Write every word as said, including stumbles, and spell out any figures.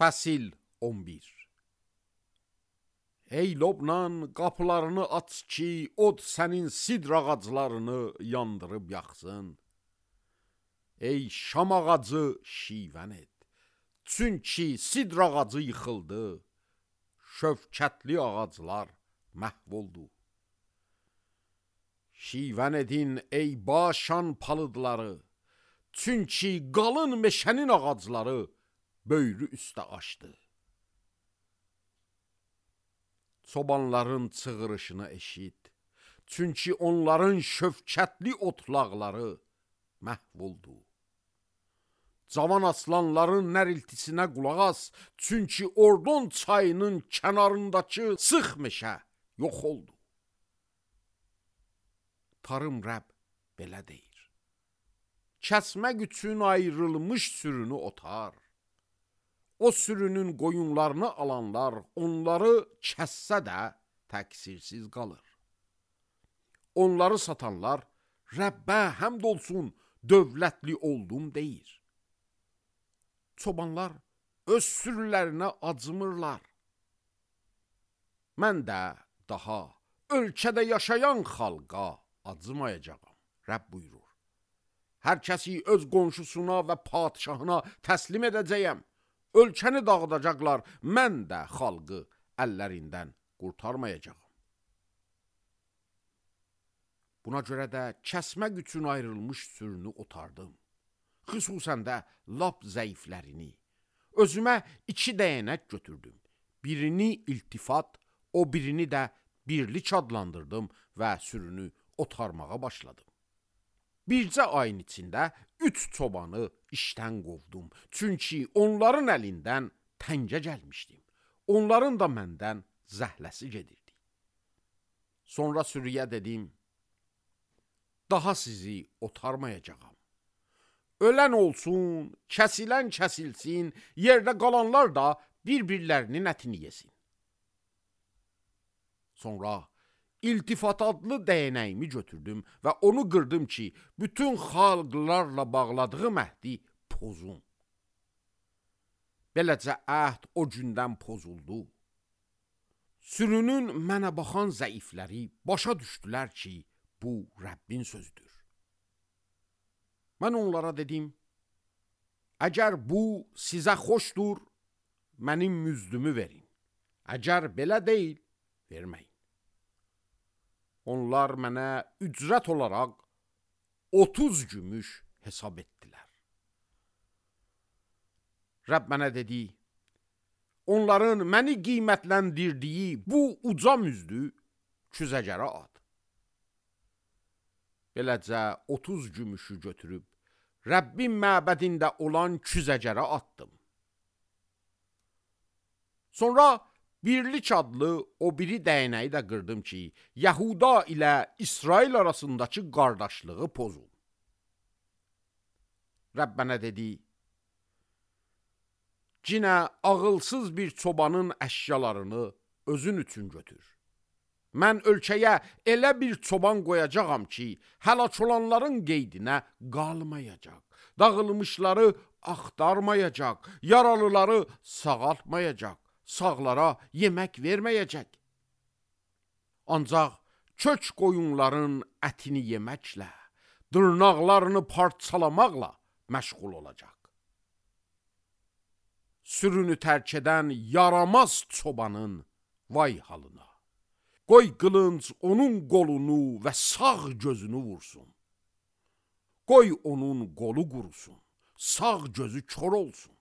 Fəsil on bir. Ey Lobnan, qapılarını aç ki, od sənin sidr ağaclarını yandırıb yaxsın. Ey şam ağacı, şivən et. Çünki sidr ağacı yıxıldı, şövkətli ağaclar məhv oldu. Şivən edin ey Başan palıdları, çünki qalın meşənin ağacları böyrü üstə açdı. Çobanların çığırışını eşit, çünki onların şövkətli otlaqları məhv oldu. Cavan aslanların nəriltisinə qulaq as, çünki Ordon çayının kənarındakı sıx meşə yox oldu. Tarım Rəbb belə deyir: kəsmək üçün ayrılmış sürünü otar. O sürünün qoyunlarını alanlar onları kəssə də təqsirsiz qalır. Onları satanlar Rəbbə həmd olsun, dövlətli oldum deyir. Çobanlar öz sürülərinə acımırlar. Mən də daha ölkədə yaşayan xalqa acımayacağam, Rəbb buyurur. Hər kəsi öz qonşusuna və padişahına təslim edəcəyəm. Ölkəni dağıdacaqlar, mən də xalqı əllərindən qurtarmayacağam. Buna görə də kəsmək üçün ayrılmış sürünü otardım. Xüsusən də lap zəiflərini. Özümə iki dəyənək götürdüm. Birini iltifat, o birini də birlik adlandırdım və sürünü otarmağa başladım. Bircə ayın içində üç çobanı işdən qovdum. Çünki onların əlindən təngə gəlmişdim. Onların da məndən zəhləsi gedirdi. Sonra sürüyə dedim: daha sizi otarmayacağam. Ölən olsun, kəsilən kəsilsin, yerdə qalanlar da bir-birlərinin ətini yesin. Sonra İltifat adlı dəyənəyimi götürdüm və onu qırdım ki, bütün xalqlarla bağladığı əhdi pozun. Beləcə əhd o gündən pozuldu. Sürünün mənə baxan zəifləri başa düşdülər ki, bu Rəbbin sözdür. Mən onlara dedim: əgər bu sizə xoşdur, mənim müzdümü verin. Əgər belə deyil, verməyin. Onlar mənə ücrət olaraq otuz gümüş hesab etdilər. Rəbb mənə dedi: onların məni qiymətləndirdiyi bu uca müzdü küzəcərə at. Beləcə otuz gümüşü götürüb Rəbbin məbədində olan küzəcərə atdım. Sonra birlik adlı o biri dəyənəyi də qırdım ki, Yahuda ilə İsrail arasındakı qardaşlığı pozul. Rəbb mənə dedi: cinə ağılsız bir çobanın əşyalarını özün üçün götür. Mən ölkəyə elə bir çoban qoyacağam ki, həlak olanların qeydinə qalmayacaq, dağılmışları axtarmayacaq, yaralıları sağaltmayacaq, sağlara yemək verməyəcək. Ancaq kök qoyunların ətini yeməklə, dırnaqlarını parçalamaqla məşğul olacaq. Sürünü tərk edən yaramaz çobanın vay halına. Qoy qılınc onun qolunu və sağ gözünü vursun. Qoy onun qolu qurusun, sağ gözü kör olsun.